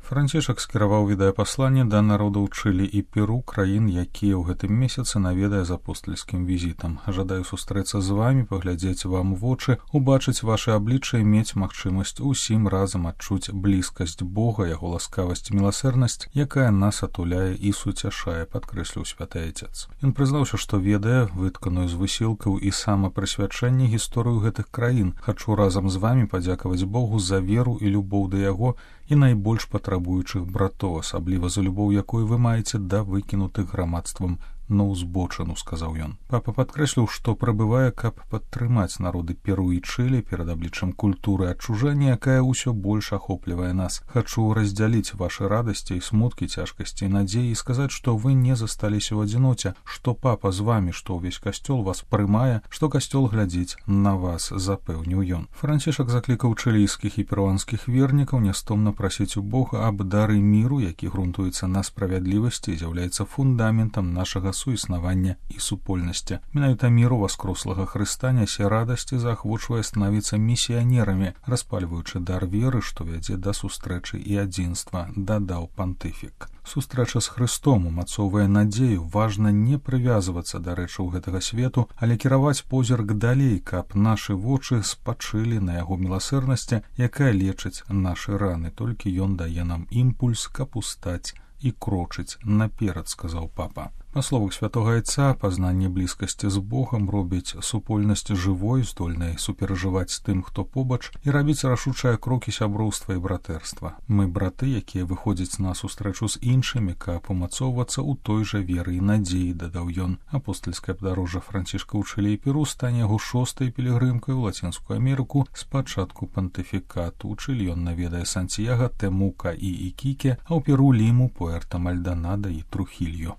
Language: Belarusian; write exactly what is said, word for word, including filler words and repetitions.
Францішак скіраваў відэапасланне да народаў Чылі і Перу, краін, якія ў гэтым месяцы наведае з апостальскім візітам. Жадаю сустрэцца з вамі, паглядзець вам у вочы, убачыць вашы аблічча і мець магчымасць усім разам адчуць блізкасць Бога, яго ласкавасць і міласэрнасць, якая нас атуляе і суцяшае, падкрэсліў святы Айцец. Ён прызнаўся, што ведае вытканую з высілкаў і самапрысвячэнне гісторыю гэтых краін. Хачу разам з вамі падзякаваць Богу за веру і любоў да яго і найбольш патрабуючых братоў, асабліва за любоў, якую вы маеце да выкінутых грамадствам на ўзбочыну, сказаў ён. Папа падкрэсліў, што прыбывае, каб падтрымаць народы Перу і Чылі перад абліччам культуры адчужэння, якая ўсё больш ахоплівае нас. Хачу раздзяліць вашы радасці і смуткі, цяжкасці і надзеі і сказаць, што вы не засталіся ў адзіноце, што папа з вамі, што ўвесь касцёл вас прымае, што касцёл глядзіць на вас, запэўніў ён. Францішак заклікаў чылійскіх і перуанскіх вернікаў нястомна прасіць у Бога аб дары міру, які грунтуецца на справядлівасці і з'яўляецца фундаментам нашага суіснавання і супольнасці. Менавіта міру васкрослага Хрыста нясе радасць і заахвочвае станавіцца місіянерамі, распальваючы дар веры, што вядзе да сустрэчы і адзінства, дадаў пантыфік. Сустрэча з Хрыстом умацоўвае надзею, важна не прывязвацца да рэчаў гэтага свету, але кіраваць позірк далей, каб нашы вочы спачылі на яго міласэрнасці, якая лечыць нашы раны. Толькі ён дае нам імпульс, каб устаць і крочыць наперад, сказаў папа. Па словах святога Айца, пазнанне блізкасці з Богам робіць супольнасць жывой, здольнай суперажываць з тым, хто побач, і рабіць рашучыя крокі сяброўства і братэрства. Мы браты, якія выходзяць на сустрэчу з іншымі, каб умацоўвацца ў той жа веры і надзеі, дадаў ён. Апостальскае падарожжа Францішка ў Чылі і Перу стане яго шостай пілігрымкай у Лацінскую Амерыку з пачатку пантыфікату. У Чылі ён наведае Сантьяга, Темука і Ікіке, а ў Перу Ліму, Пуэрта Мальдонадо і Трухільо.